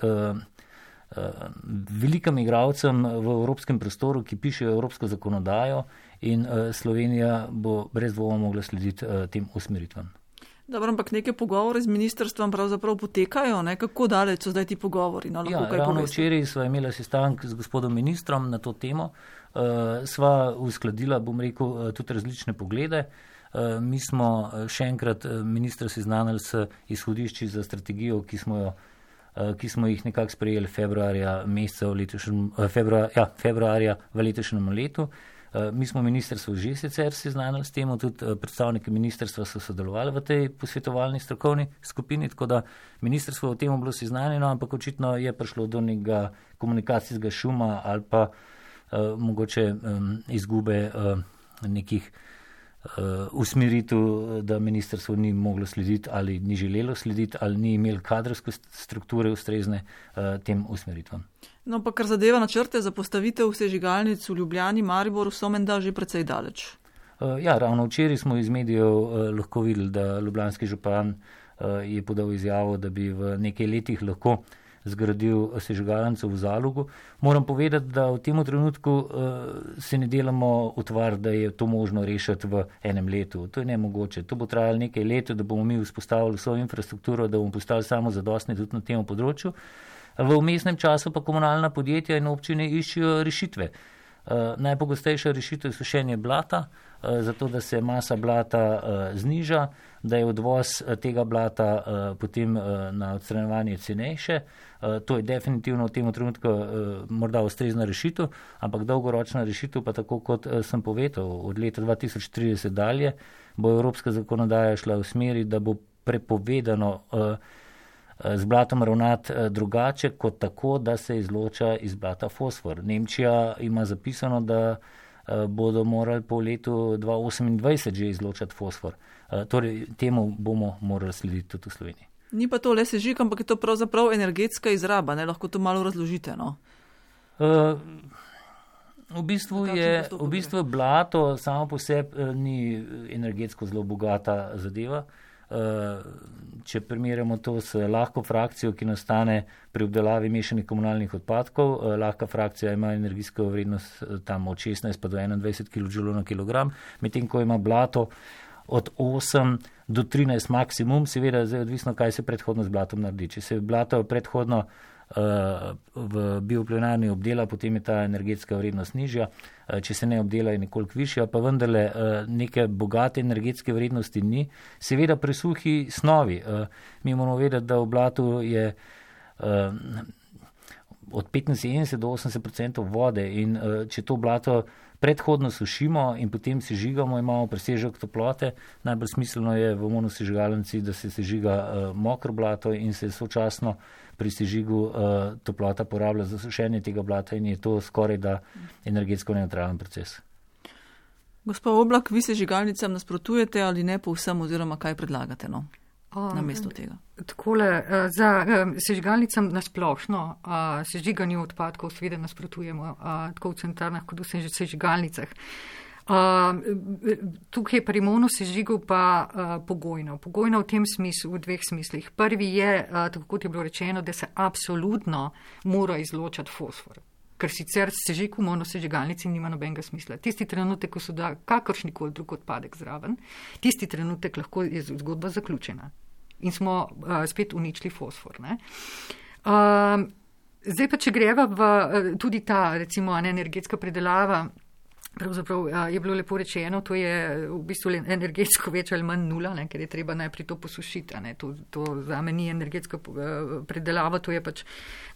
velikim igralcem v evropskem prostoru, ki pišejo evropsko zakonodajo, in Slovenija bo brez dvoma mogla slediti tem usmeritvam. Dobro, ampak neke pogovore z ministrstvom pravzaprav potekajo, ne? Kako daleč so zdaj ti pogovori? No, ja, ravno včeraj sva imela sestanek z gospodom ministrom na to temo, uh, sva uskladila, bom rekel, tudi različne poglede. Uh, mi smo še enkrat ministra seznanili s izhodišči za strategijo, ki smo jo ki smo jih nekako sprejeli februarja, meseca v letošnjem, februar, ja, februarja v letošnjem letu. Mi smo ministrstvo že sicer seznanili s tem, tudi predstavniki ministrstva so sodelovali v tej posvetovalni strokovni skupini, tako da ministrstvo v tem bilo seznanjeno, ampak očitno je prišlo do nekega komunikacijskega šuma ali pa uh, mogoče um, izgube uh, nekih Uh, usmeritev, da ministrstvo ni moglo slediti ali ni želelo slediti ali ni imelo kadrovske strukture ustrezne uh, tem usmeritvam. No, pa kar zadeva načrte za postavitev sežigalnic v Ljubljani, Mariboru, so menda že precej daleč. Uh, ja, ravno včeraj smo iz medijev uh, lahko videli, da ljubljanski župan uh, je podal izjavo, da bi v nekaj letih lahko zgradil sežigalnico v Zalogu. Moram povedati, da v tem trenutku uh, se ne delamo utvar, da je to možno rešiti v enem letu. To je nemogoče. To bo trajalo nekaj let, da bomo mi vzpostavili vso infrastrukturo, da bomo postali samozadostni tudi na tem področju. V vmesnem času pa komunalna podjetja in občine iščejo rešitve. Uh, najpogostejša rešitev je sušenje blata, uh, zato da se masa blata uh, zniža, da je odvoz uh, tega blata uh, potem uh, na odstranjevanje cenejše. Uh, to je definitivno v tem trenutku uh, morda ustrezna rešitev, ampak dolgoročna rešitev pa tako, kot uh, sem povedal, od leta dva tisoč trideset dalje bo evropska zakonodaja šla v smeri, da bo prepovedano uh, z blatom ravnati drugače kot tako, da se izloča iz blata fosfor. Nemčija ima zapisano, da bodo morali po letu dva tisoč osemindvajset že izločati fosfor. Torej, temu bomo morali slediti tudi v Sloveniji. Ni pa to le sežig, ampak je to pravzaprav energetska izraba, ne? Lahko to malo razložite, no? Uh, v bistvu je, v bistvu blato samo po sebi ni energetsko zelo bogata zadeva. Če primerjamo to s lahko frakcijo, ki nastane pri obdelavi mešanih komunalnih odpadkov, lahka frakcija ima energijsko vrednost tam od šestnajst pa do enaindvajset kilodžulov na kilogram, medtem ko ima blato od osem do trinajst maksimum, seveda zdaj odvisno, kaj se predhodno z blatom naredi. Če se blato predhodno v bioplenarni obdela, potem je ta energetska vrednost nižja, če se ne obdela je nekoliko višja, pa vendarle neke bogate energetske vrednosti ni. Seveda pri suhi snovi. Mi moramo vedeti, da v blatu je od petinsedemdeset do osemdeset odstotkov vode in če to blato predhodno sušimo in potem sežigamo, imamo presežek toplote. Najbolj smiselno je v monosežigalnici, da se sežiga mokro blato in se sočasno pri sežigu toplota porablja za sušenje tega blata in je to skoraj da energetsko neutralen proces. Gospa Oblak, vi sežigalnicam nasprotujete ali ne povsem oziroma kaj predlagate, no? Na mesto tega. Takole, za sežigalnicam nasplošno sežiganju odpadkov seveda nasprotujemo tako v centrarnah kot v sežigalnicah. Tukaj pri monosežigu pa pogojno. Pogojno v tem smislu, v dveh smislih. Prvi je, tako kot je bilo rečeno, da se absolutno mora izločati fosfor. Ker sicer sežig v monosežigalnici nima nobenega smisla. Tisti trenutek, ko so da kakršnikoli drug odpadek zraven, tisti trenutek lahko je zgodba zaključena. In smo uh, spet uničili fosfor. Ne? Uh, zdaj pa, če greva v uh, tudi ta, recimo, energetska predelava Pravzaprav je bilo lepo rečeno, to je v bistvu energetsko več ali manj nula, ne, ker je treba najprej to posušiti. Ne. To, to zame ni energetska predelava, to je pač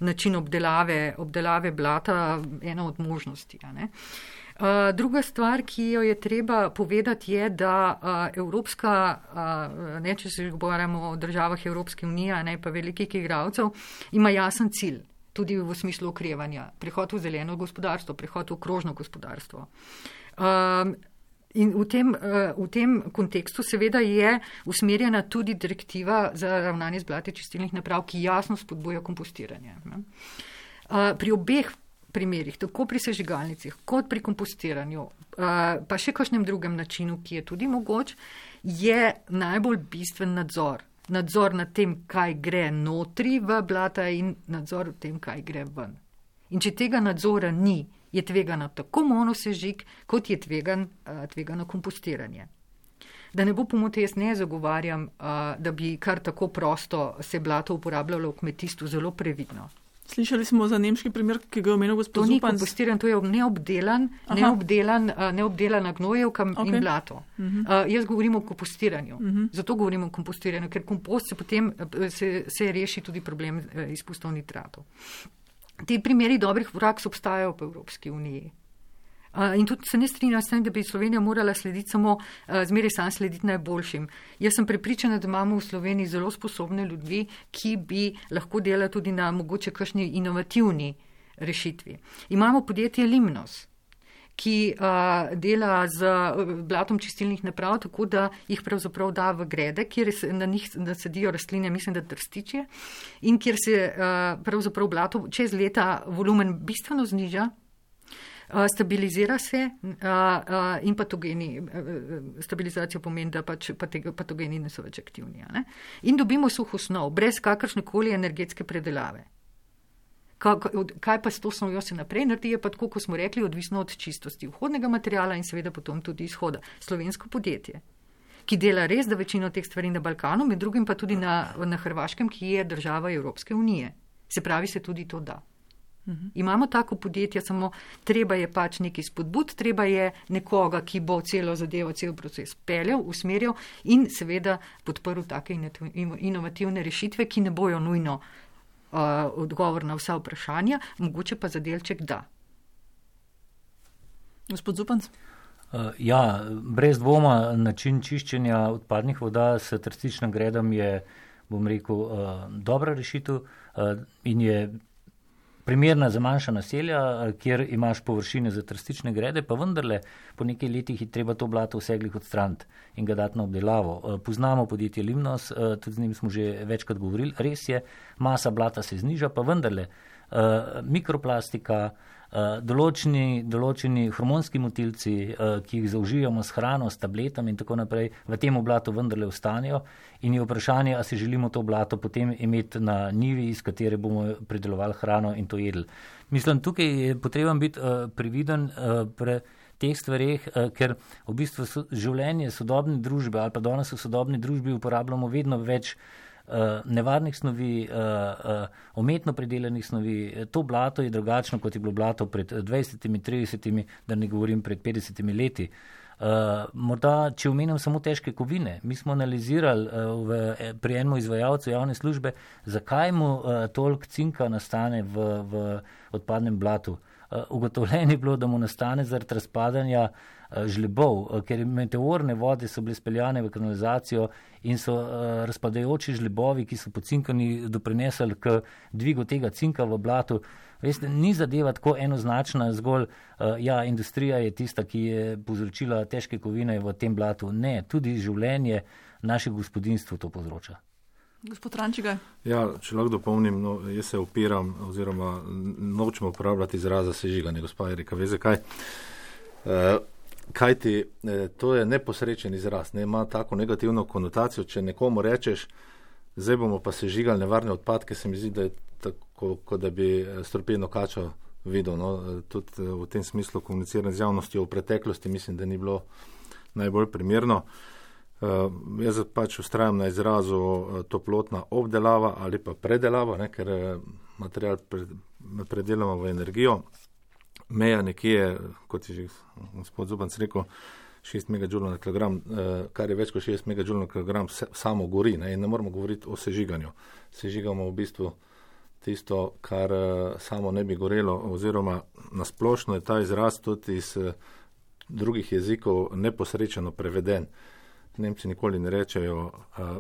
način obdelave, obdelave blata, ena od možnosti. Ne. Uh, druga stvar, ki jo je treba povedati, je, da uh, Evropska, uh, ne, če se govorimo o državah Evropske unije, ne pa velikih igralcev, ima jasen cilj. Tudi v smislu okrevanja, prehod v zeleno gospodarstvo, prehod v krožno gospodarstvo. Um, in v tem, uh, v tem kontekstu seveda je usmerjena tudi direktiva za ravnanje z blati čistilnih naprav, ki jasno spodbuja kompostiranje. Uh, pri obeh primerih, tako pri sežigalnicah, kot pri kompostiranju, uh, pa še kakšnem drugem načinu, ki je tudi mogoč, je najbolj bistven nadzor. Nadzor nad tem, kaj gre notri v blata in nadzor nad tem, kaj gre ven. In če tega nadzora ni, je tvegano tako monosežig, kot je tvegan, tvegano kompostiranje. Da ne bo pomote, jaz ne zagovarjam, da bi kar tako prosto se blato uporabljalo v kmetijstvu, zelo previdno. Slišali smo za nemški primer, ki ga je omenil gospod Zupanc. To ni kompostiran, to je neobdelan, neobdelan, neobdelana gnojevka okay. in blato. Uh-huh. Uh, jaz govorim o kompostiranju. Uh-huh. Zato govorim o kompostiranju, ker kompost se potem se, se reši tudi problem izpustov nitratov. Ti primeri dobrih praks obstajajo v Evropski uniji. Uh, in tudi se ne strinjam s tem, da bi Slovenija morala slediti samo, uh, zmeraj sam slediti najboljšim. Jaz sem prepričana, da imamo v Sloveniji zelo sposobne ljudi, ki bi lahko delali tudi na mogoče kakšni inovativni rešitvi. Imamo podjetje Limnos, ki uh, dela z blatom čistilnih naprav, tako da jih pravzaprav da v grede, kjer se na njih nasadijo rastline, mislim, da trstičje, in kjer se uh, pravzaprav blato čez leta volumen bistveno zniža, Uh, stabilizira se uh, uh, in patogeni, uh, stabilizacija pomeni, da pač patogeni niso več aktivni. Ne? In dobimo suh osnov, brez kakršnekoli energetske predelave. Kaj, kaj pa s to osnovjo se naprej naredi, je pa tako, kot smo rekli, odvisno od čistosti vhodnega materiala in seveda potom tudi izhoda. Slovensko podjetje, ki dela res da večino teh stvari na Balkanu, med drugim pa tudi na, na Hrvaškem, ki je država Evropske unije. Se pravi, se tudi to da. Uhum. Imamo tako podjetje, samo treba je pač neki spodbud, treba je nekoga, ki bo celo zadevo, cel proces peljal, usmerjal in seveda podprl take inovativne rešitve, ki ne bojo nujno uh, odgovor na vsa vprašanja, mogoče pa za delček da. Gospod Zupanc? Uh, ja, brez dvoma način čiščenja odpadnih voda s trstičnim gredom je, bom rekel, uh, dobra rešitev uh, in je primerna za manjša naselja, kjer imaš površine za trstične grede, pa vendarle po nekaj letih je treba to blato vseglih odstraniti in ga dati na obdelavo. Poznamo podjetje Limnos, tudi z njim smo že večkrat govorili, res je, masa blata se zniža, pa vendarle mikroplastika, določeni, določeni hormonski motilci, ki jih zaužijamo s hrano, s tabletami in tako naprej, v tem blatu vendarle ostanejo in je vprašanje, a si želimo to blato potem imeti na njivi, iz katere bomo predelovali hrano in to jedli. Mislim, tukaj je potreben biti previden pre teh stvareh, ker v bistvu so, življenje sodobne družbe ali pa danes v sodobni družbi uporabljamo vedno več nevarnih snovi, umetno predelanih snovi. To blato je drugačno, kot je bilo blato pred dvajsetimi, tridesetimi, da ne govorim pred petdesetimi leti. Morda, če omenim samo težke kovine, mi smo analizirali v, pri enem izvajalcu javne službe, zakaj mu toliko cinka nastane v, v odpadnem blatu. Ugotovljeno je bilo, da mu nastane zaradi razpadanja žlebov, ker meteorne vode so bile speljane v kanalizacijo in so razpadajoči žlebovi, ki so pocinkani, doprinesli k dvigu tega cinka v blatu. Veste, ni zadeva tako enoznačna, zgolj ja, industrija je tista, ki je povzročila težke kovine v tem blatu. Ne, tudi življenje naših gospodinstv to povzroča. Gospod Rančiga. Ja, če lahko dopolnim, no, jaz se opiram oziroma nočemo uporabljati izraza sežiganje, gospa Erika, ve zakaj? E, kaj ti, e, to je neposrečen izraz, ne, ima tako negativno konotacijo, če nekomu rečeš, zdaj bomo pa sežigali nevarne odpadke, se mi zdi, da je tako, kot da bi strupeno kačo videl, no, tudi v tem smislu komunicirati z javnostjo v preteklosti, mislim, da ni bilo najbolj primerno. Uh, jaz pač ustrajam na izrazu uh, toplotna obdelava ali pa predelava, ne, ker uh, material pre, predelamo v energijo. meja nekje, kot je že gospod Zupanc rekel, šest megadžulov na kilogram, kar je več kot šest megadžulov na kilogram, samo gori, ne, in ne moramo govoriti o sežiganju. Sežigamo v bistvu tisto, kar samo ne bi gorelo, oziroma nasplošno je ta izraz tudi iz drugih jezikov neposrečeno preveden. Nemci nikoli ne rečejo uh,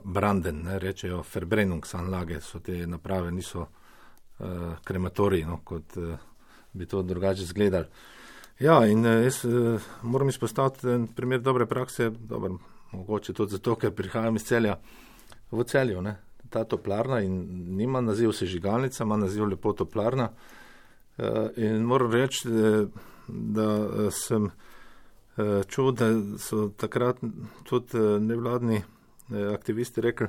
branden, ne rečejo Verbrennungsanlage, so te naprave, niso uh, krematoriji, no, kot uh, bi to drugače izgledali. Ja, in uh, jaz uh, moram izpostaviti en primer dobre prakse, dober, mogoče tudi zato, ker prihajam iz Celja, v Celju, ne, ta toplarna in nima naziv sežigalnica, ima naziv lepo toplarna uh, in moram reči, da uh, sem čuo, da so takrat tudi nevladni aktivisti rekli,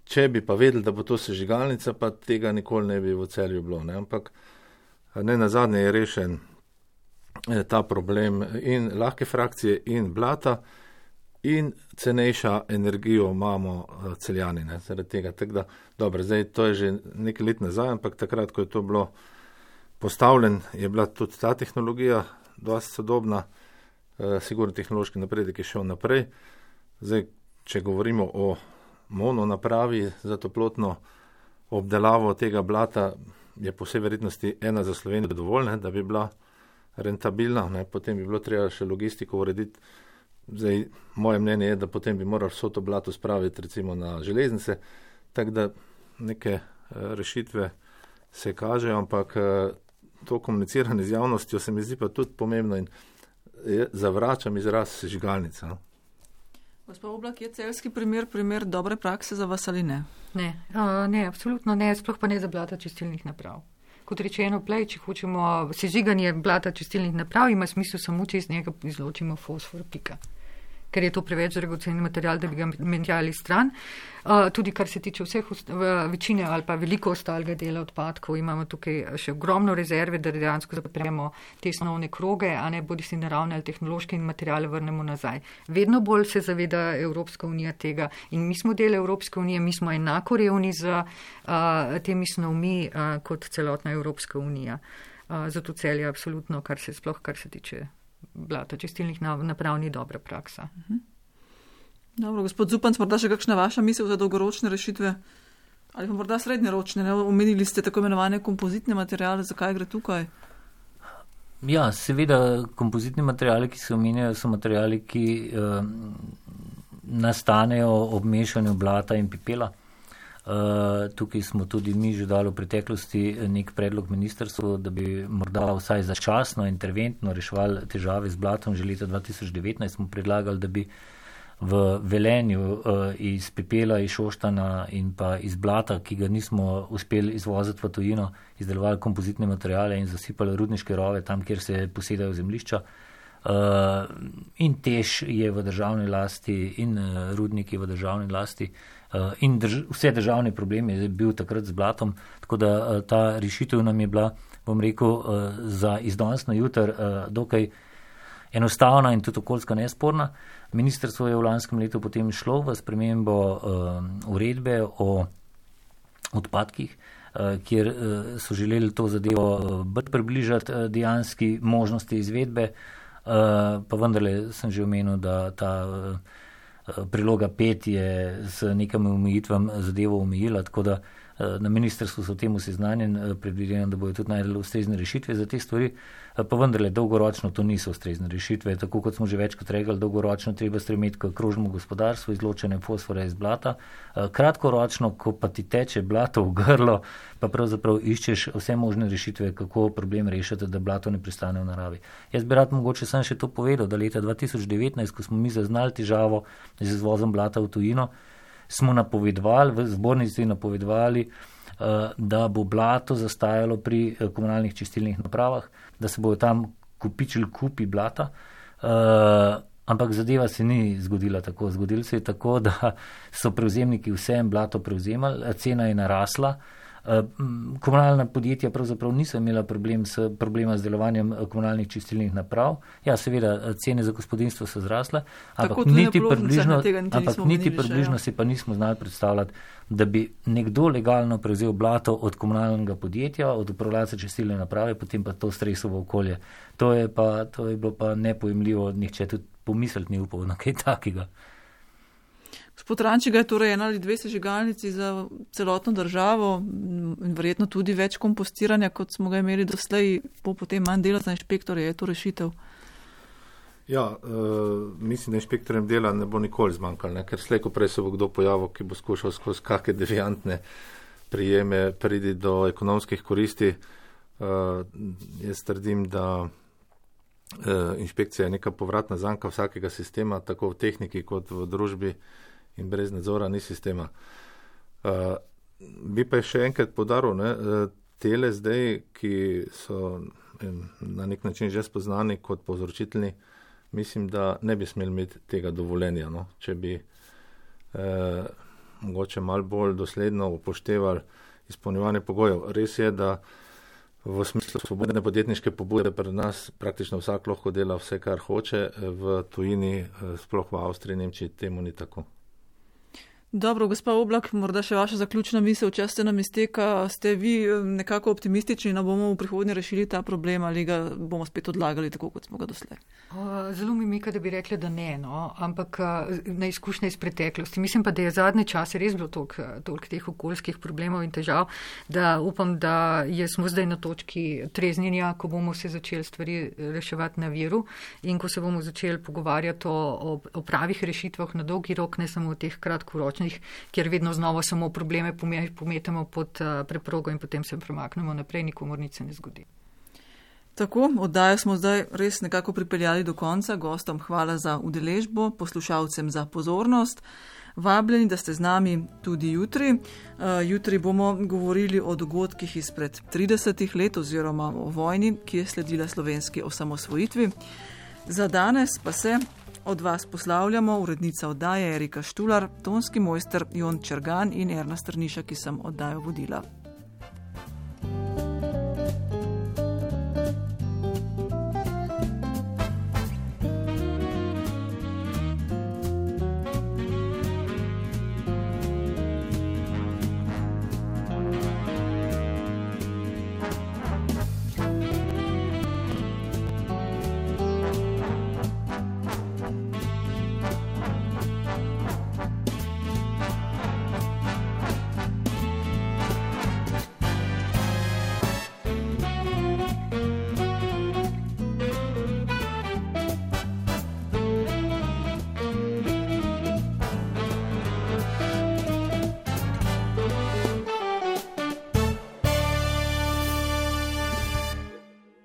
če bi pa vedeli, da bo to sežigalnica, pa tega nikoli ne bi v Celju bilo. Ne? Ampak ne nazadnje je rešen ta problem in lahke frakcije in blata in cenejša energijo imamo Celjani, ne? Zaradi tega. Tako da, dobro, zdaj to je že nekaj let nazaj, ampak takrat, ko je to bilo postavljen, je bila tudi ta tehnologija dosti sodobna. Sigurno tehnološki napredek je šel naprej. Zdaj, če govorimo o mononapravi za toplotno obdelavo tega blata, je po vsej verjetnosti ena za Slovenijo dovolj, ne, da bi bila rentabilna, ne, potem bi bilo treba še logistiko urediti. Zdaj, moje mnenje je, da potem bi morali vso to blato spraviti recimo na železnice, tako da neke rešitve se kažejo, ampak to komuniciranje z javnostjo se mi zdi pa tudi pomembno in zavračam izraz sežigalnica. No? Gospod Oblak, je celjski primer primer dobre prakse za vas ali ne? Ne, uh, ne, absolutno ne, sploh pa ne za blata čistilnih naprav. Kot rečeno, plej, če hočemo sežiganje blata čistilnih naprav, ima smisel samo, če iz njega izločimo fosfor, pika. Ker je to preveč dragoceni material, da bi ga menjali stran. Uh, tudi kar se tiče vseh večine ali pa veliko ostalega dela odpadkov, imamo tukaj še ogromno rezerve, da dejansko zapremo te osnovne kroge, a ne bodi si naravne ali tehnološke in materijale vrnemo nazaj. Vedno bolj se zaveda Evropska unija tega in mi smo del Evropske unije, mi smo enako revni z uh, temi snovmi uh, kot celotna Evropska unija. Uh, zato Celje absolutno, kar se sploh, kar se tiče blata čistilnih naprav, ni dobra praksa. Dobro, gospod Zupanc, morda še kakšna vaša misel za dolgoročne rešitve? Ali pa morda srednjeročne? Ne? Omenili ste tako imenovane kompozitne materiale, zakaj gre tukaj? Ja, seveda kompozitni materiali, ki se omenjajo, so materiali, ki eh, nastanejo ob mešanju blata in pepela. Uh, tukaj smo tudi mi že dali v preteklosti nek predlog ministrstvu, da bi morda vsaj začasno interventno reševali težave z blatom. Že leta dva tisoč devetnajst smo predlagali, da bi v Velenju uh, iz pepela, iz Šoštana in pa iz blata, ki ga nismo uspeli izvoziti v tujino, izdelovali kompozitne materiale in zasipali rudniške rove tam, kjer se posedajo zemljišča. Uh, in Tež je v državni lasti in uh, rudnik je v državni lasti. Uh, in drž vse državne probleme je bil takrat z blatom, tako da uh, ta rešitev nam je bila, bom rekel, uh, za iz danes na jutr uh, dokaj enostavna in tudi okoljska nesporna. Ministrstvo je v lanskem letu potem šlo v spremembo uh, uredbe o odpadkih, uh, kjer uh, so želeli to zadevo uh, bolj približati uh, dejanski možnosti izvedbe, uh, pa vendarle sem že omenil, da ta uh, priloga pet je s nekami omejitvam zadevo omejila, tako da na ministrstvu so temu seznanjen, predvidevam, da bojo tudi najdeli ustrezne rešitve za te stvari, pa vendarle dolgoročno to niso ustrezne rešitve, tako kot smo že večkrat rekli, dolgoročno treba stremeti k krožnemu gospodarstvu, izločanje fosfora iz blata, kratkoročno, ko pa ti teče blato v grlo, pa pravzaprav iščeš vse možne rešitve, kako problem rešiti, da blato ne pristane v naravi. Jaz bi rad mogoče sem še to povedal, da leta dva tisoč devetnajst, ko smo mi zaznali težavo z izvozom blata v tujino, smo napovedovali, v zbornici napovedovali, da bo blato zastajalo pri komunalnih čistilnih napravah, da se bojo tam kupičili kupi blata, ampak zadeva se ni zgodila tako. Zgodilo se je tako, da so prevzemniki vsem blato prevzemali, cena je narasla Komunalna podjetja pravzaprav niso imela problem s, problema z delovanjem komunalnih čistilnih naprav. Ja, seveda, cene za gospodinstvo so zrasle, ampak niti približno, ampak niti približno si pa nismo znali predstavljati, da bi nekdo legalno prevzel blato od komunalnega podjetja, od upravljalca čistilne naprave, potem pa to stresovo okolje. To je, pa, to je bilo pa nepojemljivo, nihče tudi pomisliti ni upal na kaj takega. Gospod Rančiga je torej ena ali dve sežigalnici za celotno državo in verjetno tudi več kompostiranja, kot smo ga imeli doslej, bo potem manj dela za inšpektorje, je to rešitev? Ja, uh, mislim, da inšpektorjem dela ne bo nikoli zmanjkalo, ne? Ker slej, ko prej se bo kdo pojavil, ki bo skušal skozi kakšne deviantne prijeme pridi do ekonomskih koristi. Uh, jaz trdim, da uh, inšpekcija je neka povratna zanka vsakega sistema, tako v tehniki kot v družbi, in brez nadzora ni sistema. Uh, bi pa še enkrat podaril, ne, tele zdaj, ki so na nek način že spoznani kot povzročitelji, mislim, da ne bi smeli imeti tega dovoljenja, no, če bi eh, mogoče malo bolj dosledno upoštevali izpolnjevanje pogojev. Res je, da v smislu svobodne podjetniške pobude pri nas praktično vsak lahko dela vse, kar hoče, v tujini, sploh v Avstriji, Nemčiji, temu ni tako. Dobro, gospa Oblak, morda še vaša zaključna misel, čas se nam izteka. Ste vi nekako optimistični, da bomo v prihodnje rešili ta problem ali ga bomo spet odlagali tako, kot smo ga doslej? Zelo mi mika, da bi rekli, da ne, no, ampak na izkušnje iz preteklosti. Mislim pa, da je zadnje čase res bilo toliko, toliko teh okoljskih problemov in težav, da upam, da je smo zdaj na točki treznjenja, ko bomo se začeli stvari reševati na viru in ko se bomo začeli pogovarjati o, o, o pravih rešitvah na dolgi rok, ne samo o teh kratkoročnih, kjer vedno znova samo probleme pometamo pod preprogo in potem se premaknemo naprej, nikomor nič se ne zgodi. Tako, oddajo smo zdaj res nekako pripeljali do konca. Gostom hvala za udeležbo, poslušalcem za pozornost. Vabljeni, da ste z nami tudi jutri. Uh, jutri bomo govorili o dogodkih izpred tridesetih let oziroma o vojni, ki je sledila slovenski osamosvojitvi. Za danes pa se od vas poslavljamo urednica oddaje Erika Štular, tonski mojster Jon Čergan in Erna Strniša, ki sem oddajo vodila.